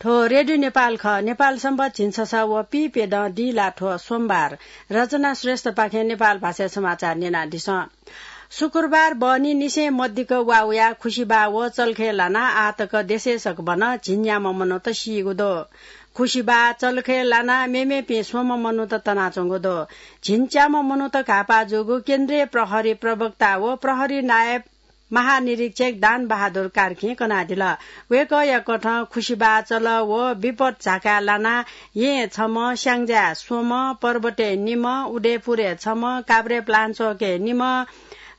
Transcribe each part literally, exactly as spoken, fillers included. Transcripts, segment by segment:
थ्व रेडियो नेपाल खः। नेपाल संवत झिंछसः व पीप्यदँ दिल्लाथ्व सोमबार। रचना श्रेष्ठपाखें नेपाल भाषाय् समाचार न्यनादिसँ। शुक्रबार बहनी निसें मदिक्क वा वयाः खुसिबाः व चल्खय् लानाः आःतक देशय् सकभनं झिंन्याम्ह मनूत सीगु दु। खुसिबाः चल्खय् लानाः मेमेपिं स्वम्ह मनूत तनाच्वंगु दु। झिंच्याम्ह मनूत घाःपाः जूगु केन्द्रीय प्रहरी प्रवक्ता व प्रहरी नायब महानिरीक्षक दान बहादुर कार्कीं कनादिल। वय्कःया कथं खुसिबाः चल व विपत झाकाः लानाः येँय् छम्ह, स्याङ्जाय् स्वम्ह, पर्वतय् निम्ह, उदयपुरय् छम्ह, काभ्रेपलाञ्चोकय् निम्ह,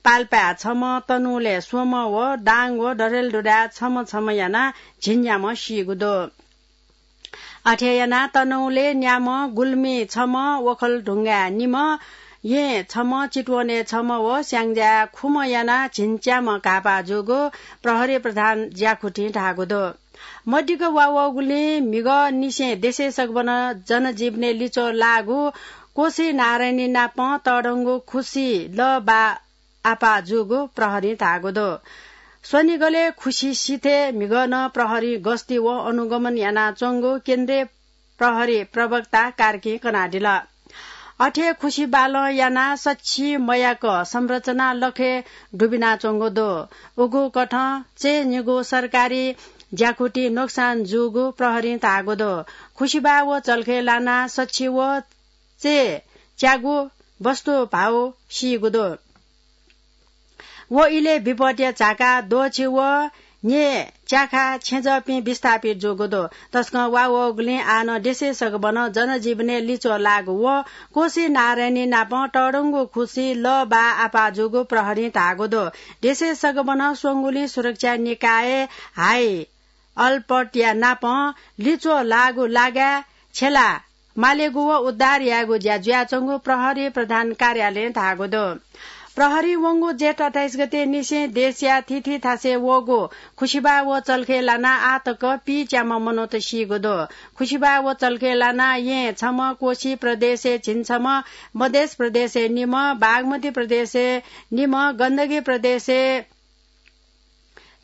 पाल्पाय् छम्ह, तनहुँलय् स्वम्ह व दाङ व डडेलधुराय् छम्ह छम्ह यानाः झिंन्याम्ह सीगु दु। अथे यानाः तनहुँलय् न्याम्ह, गुल्मीय् छम्ह, ओखलढुङ्गाय् निम्ह, येँय् छम्ह, चितवनय् छम्ह व स्याङ्जाय् खुम्ह यानाः झिंच्याम्ह घाःपाः जूगु प्रहरी प्रधान ज्याकुथिं धाःगु दु। मदिक्क वा वःगुलिं म्हिगः निसें देशय् सकभनं जनजीवनय् लिच्वः लाःगु कोशी नारायणी नापं तःधंगु खुसि लः बाः आपाः जूगु प्रहरीं धाःगु दु। स्वनिगलय् खुसि सिथय् म्हिगः नं प्रहरीं गस्ती व अनुगमन यानाच्वंगु केन्द्रीय प्रहरी प्रवक्ता कार्कीं कनादिल। अथे खुसि बालं यानाः सछि मयाक संरचना लखय् दुबिनाच्वंगु दु। उगु कथं चय्निगू सरकारी ज्याकुथिइ नोक्सान जूगु प्रहरीं धाःगु दु। खुसिबाः व चल्खय् लानाः सछि व चय्च्यागू वस्तु भाउ सीगु दु। व इलय् विपदया झाका द्वःछि व न्यय् च्याखा छेँजःपिं विस्थापित जूगु दु। तसकं वा वःगुलिं आः नं देशय् सकभनं जनजीवनय् लिच्वः लाःगु व कोशी नारायणी नापं तःधंगु खुसि लः बाः आपाः जूगु प्रहरीं धाःगु दु। देशय् सकभनं स्वंगुलिं सुरक्षा निकाय हाई अलर्टया नापं लिच्वः लाःगु लागाय् छ्यला मालेगु व उद्धार यायेगु ज्या जुयाच्वंगु प्रहरी प्रधान कार्यालयं धाःगु दु। प्रहरीं वंगु जेठ अट्ठाइस गते निसें देशया थीथी थासय् वःगु खुसिबाः व चल्खय् लानाः आः तक पीच्याम्ह मनूत सीगु दु। खुसिबाः व चल्खय् लानाः येँय् छम्ह, कोशी प्रदेशय् झिंछम्ह, मधेश प्रदेशय् निम्ह, बागमती प्रदेशय् निम्ह, गण्डकी प्रदेशय्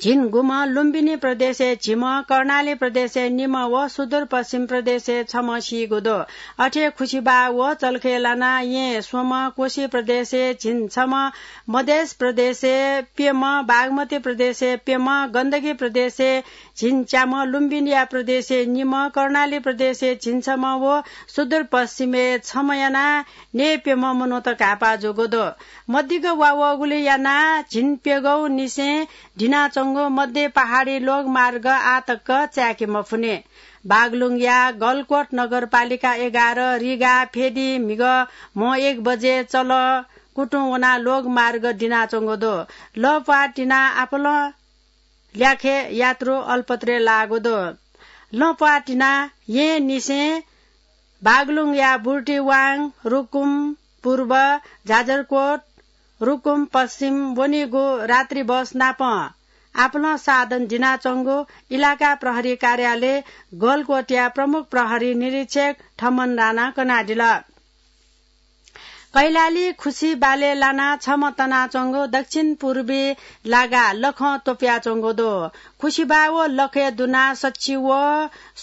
झिंगुम्ह, लुम्बिनी प्रदेशय् झिम्ह, कर्णाली प्रदेशय् निम्ह व सुदूरपश्चिम प्रदेशय् छम्ह सीगु दु। अथे खुसिबाः व चल्खय् लानाः येँय् स्वम्ह, कोशी प्रदेशय् झिंछम्ह, मधेश प्रदेशय् प्यम्ह, बागमती प्रदेशय् प्यम्ह, गण्डकी प्रदेशय् झिंच्याम्ह, लुम्बिनीया प्रदेशय् निम्ह, कर्णाली प्रदेशय् झिंछम्ह व सुदूरपश्चिमय् छम्ह यानाः न्यय्प्यम्ह मनूत घाःपाः जूगु दु। मदिक्क वा वःगुलिं यानाः झिंप्यघौ निसें दिनाच्वंगु मध्य पहाडी लोकमार्ग आः तक चाय्के मफुनि। बागलुङया गलकोट नगरपालिका एघार, रिगा फेदी म्हिगः म्हो एक बजे चल कुतुं वनाः लोकमार्ग दिनाच्वंगु दु। लःप्वाः तिनाः आपालं ल्याखय् यात्रु अलपत्रय् लाःगु दु। लःप्वाः तिनाः येँनिसें बागलुङया बुर्तिवाङ, रुकुम पूर्व, जाजरकोट, रुकुम पश्चिम वनीगु रात्रि बस नापं आपालं साधन दिनाच्वंगु इलाका प्रहरी कार्यालय गलकोटया प्रमुख प्रहरी निरीक्षक थमन राणां कनादिल। कैलाली खुसिबालय् लानाः छम्ह तनाच्वंगु दक्षिण पूर्वी लागाय् लखं त्वपुयाच्वंगु दु। खुसिबाः व लखय् दुनाः सछि व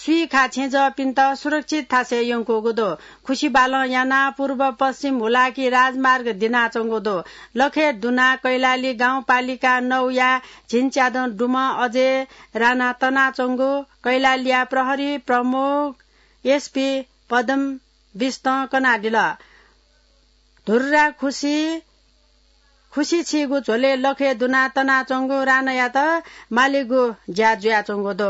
स्वीखा छेँजःपिन्त सुरक्षित थासय् यंकूगु दु। खुसिबालं यानाः पूर्व पश्चिम हुलाकी राजमार्ग दिनाच्वंगु दु। लखय् दुनाः कैलाली गाउँपालिका नौया झिंच्यादँ दुम्ह अजय राणा तनाच्वंगु कैलालीया प्रहरी प्रमुख एसपी पद्म बिष्टं कनादिल। धुर्रा खुसि, खुसि छीगु झ्वलय् लखय् दुनाः तनाच्वंगु राणायात मालेगु ज्या जुयाच्वंगु दु।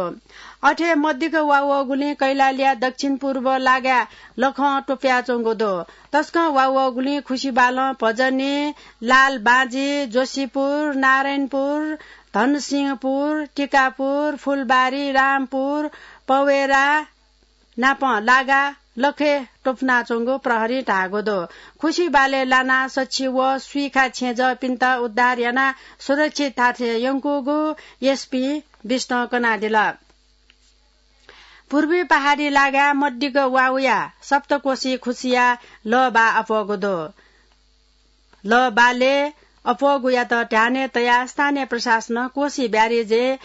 अथे मदिक्क वा वःगुलिं कैलालीया दक्षिण पूर्व लागाय् लखं त्वपुयाच्वंगु दु। तसकं वा वःगुलिं खुसिबालं भजनी, लालबाँजी, जोशीपुर, नारायणपुर, धनसिंहपुर, टिकापुर, फुलबारी, रामपुर, पवेरा, नापं लागाय् लखय् त्वपुनाच्वंगु प्रहरीं धाःगु दु। खुसिबालय् लानाः सछि व स्वीखा छेँजःपिन्त उद्धार यानाः सुरक्षित थासय् यंकूगु एसपी बिष्टं कनादिल। पूर्वी पहाडी लागाय् मदिक्क वा वयाः सप्तकोशी खुसिया लःबाः अप्वःगु दु। लःबालय् अप्वःगुयात ध्यानय् तयाः स्थानीय प्रशासनं कोशी ब्यारेजय्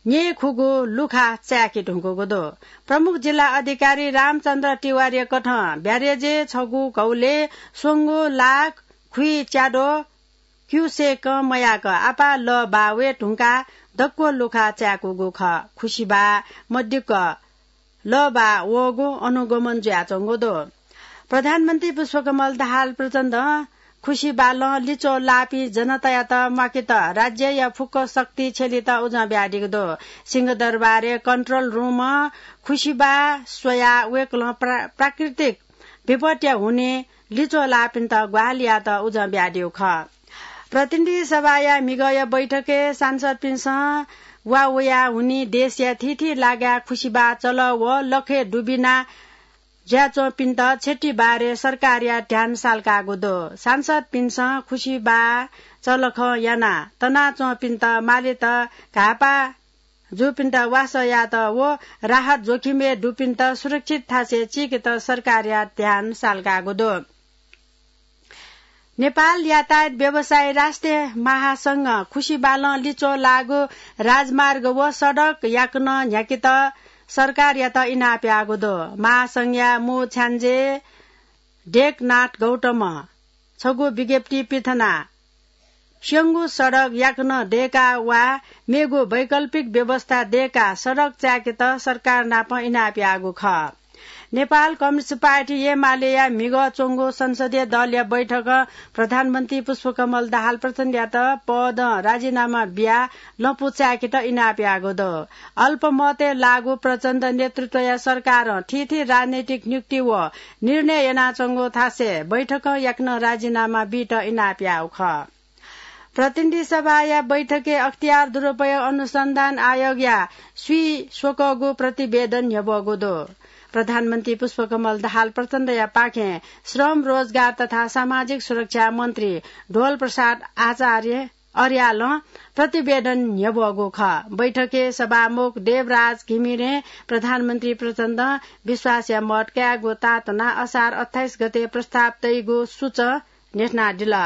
न्येखुगु लुखा चाय्‌के धुंकूगु दु। प्रमुख जिल्ला अधिकारी रामचन्द्र तिवारीया कथं ब्यारेजय् छगू घौलय् स्वंगू लाख खुइ च्याद्वः क्युसेकं मयाक आपाः लः बाः वये धुंकाः दक्व लुखा चाय्‌कूगु खः। खुसिबाः मदिक्क लः बाः वःगु अनुगमन जुयाच्वंगु दु। प्रधानमन्त्री पुष्पकमल दाहाल प्रचण्डं खुसिबालं लिच्वः लाःपिं जनतायात म्वाकेत राज्यया फुक्क शक्ति छ्यलेत उजं बियादीगु दु। सिंहदरबारय् कन्ट्रोल रुमं खुसिबाः स्वयाः वय्‌कलं प्रा-, प्राकृतिक विपत्तिया हुनिं लिच्वः लाःपिन्त ग्वाहालि यायेत उजं बियादीगु खः। प्रतिनिधि सभाया म्हिगःया बैठकय् सांसदपिन्सं वा वया हुनिं देशया थीथी लागाय् खुसिबाः चलः व लखय् दुबिना जुयाच्वंपिन्त क्षति बारे सरकारया ध्यान सालकागु दु। सांसदपिन्सं खुसिबाः चलखं यानाः तनाच्वंपिन्त मालेत घाःपाः जूपिन्त वासः यायेत व राहत जोखिमय् दुपिन्त सुरक्षित थासय् चीकेत सरकारया ध्यान सालकागु दु। नेपाल यातायात व्यवसायी राष्ट्रिय महासंघं खुसिबालं लिच्वः लाःगु राजमार्ग व सडक याकनं न्ह्याकेत सरकारयात इनाप याःगु दु। महासंघया मू छ्याञ्जे ढेकनाथ गौतमं छगू विज्ञप्ति पिथनाः स्यंगू सडक याकनं दय्‌काः वा मेगु वैकल्पिक व्यवस्था दय्‌काः सडक चाय्‌केत सरकार नाप इनाप याःगु खः। नेपाल कम्युनिस्ट पार्टी एमालेया म्हिगः च्वंगु संसदीय दलया बैठकं प्रधानमन्त्री पुष्पकमल दाहाल प्रचण्डयात पदं राजीनामा बियाः लँपु चाय्‌केत इनाप याःगु दु। अल्पमतय् लाःगु प्रचण्ड नेतृत्वया सरकारं थीथी राजनैतिक नियुक्ति व निर्णय यानाच्वंगु थासय् बैठकं याकनं राजीनामा बीत इनाप याःगु खः। प्रतिनिधि सभाया बैठकय् अख्तियार दुरुपयोग अनुसन्धान आयोगया स्वीस्वकःगु प्रतिवेदन न्ह्यब्वःगु दु। प्रधानमन्त्री पुष्पकमल दाहाल प्रचण्डया पाखें श्रम, रोजगार तथा सामाजिक सुरक्षा मन्त्री ढोल प्रसाद आचार्य अर्यालं प्रतिवेदन न्ह्यब्वःगु खः। बैठकय् सभामुख देवराज घिमिरें प्रधानमन्त्री प्रचण्डं विश्वासया मत कायेगु ताःतनाः असार अट्ठाइस गते प्रस्ताव तइगु सूचं न्ह्यथनादिल।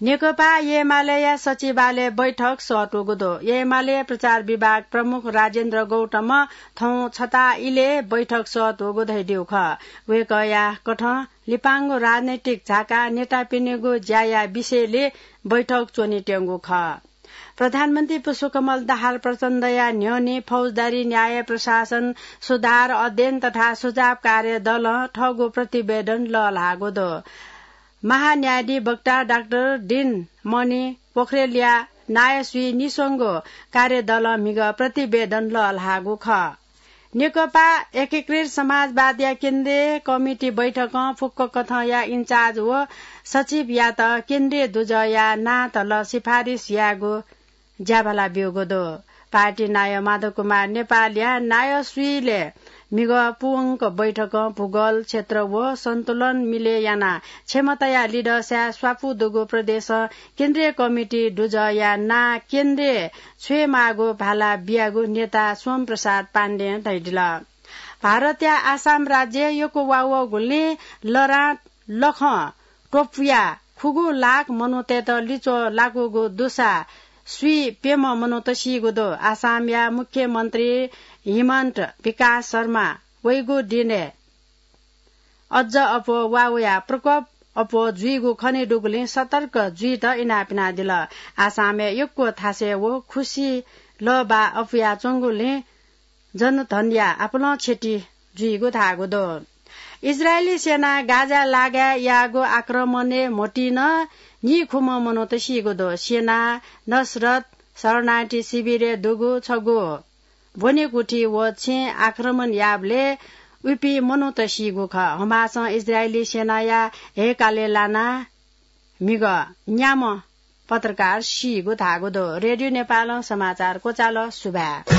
नेकपा एमालेया सचिवालय बैठक सःतूगु दु। एमाले प्रचार विभाग प्रमुख राजेन्द्र गौतमं थौं छता इलय् बैठक सःतूगु धयादीगु खः। वय्‌कःया कथं लिपांगु राजनैतिक झाकाः नेतापिनिगु ज्याया विषयलय् बैठक च्वनेत्यंगु खः। प्रधानमन्त्री पुष्पकमल दाहाल प्रचण्डया न्ह्यःने फौजदारी न्याय प्रशासन सुधार अध्ययन तथा सुझाव कार्य दलं थःगु प्रतिवेदन लःल्हाःगु दु। महान्यायाधीश वक्ता डाक्टर दिनमणि पोखरेलया नायःस्वी निस्वंगू कार्यदलं म्हिगः प्रतिवेदन लःल्हाःगु खः। नेकपा एकीकृत समाजवादया केन्द्रीय कमिटी बैठकं फुक्क कथंया इन्चार्ज व सचिवयात केन्द्रीय दुजःया नां तल सिफारिस यायेगु ज्याभाला ब्यूगु दु। पार्टी नायः माधव कुमार नेपालया नायःस्वीलय् म्हिगः पूवंक बैठकं भूगोल क्षेत्र व सन्तुलन मिलय् यानाः क्षमताया लिधःसाय् स्वापू दुगु प्रदेशं केन्द्रीय कमिटी दुजःया नां केन्द्रीय छ्वयेमाःगु भाला बियागु नेता सोम प्रसाद पाण्डें धयादिल। भारतया आसाम राज्य यक्व वा वःगुलिं लरां लखं त्वपुयाः खुगू लाख मनूतय्‌त लिच्वः लाकूगु दुसा स्वीप्यम्ह मनूत सीगु दु। आसामया मुख्यमन्त्री हिमन्त विकास शर्मा वइगु दिनय् अज्ज अप्वः वा वयाः प्रकोप अप्वः जुइगु खने दुगुलिं सतर्क जुइत इनाप यानादिल। आसामय् यक्व थासय् व खुसि लः बाः अप्वयाच्वंगुलिं जनधनया आपालं क्षति जुइगु धाःगु दु। इजरायली सेनां गाजा लागाय् याःगु आक्रमणय् म्होतिं नीखुम्ह मनूत सीगु दु। सेनां नसरत शरणार्थी शिविरय् दुगु छगू ब्वनेकुथि व छेँय् आक्रमण याःबलय् उपिं मनूत सीगु खः। हमासं इजरायली सेनाया हेकालय् लानाः म्हिगः न्याम्ह पत्रकार सीगु धाःगु दु। रेडियो नेपालं समाचार क्वचाल। सुभाय्।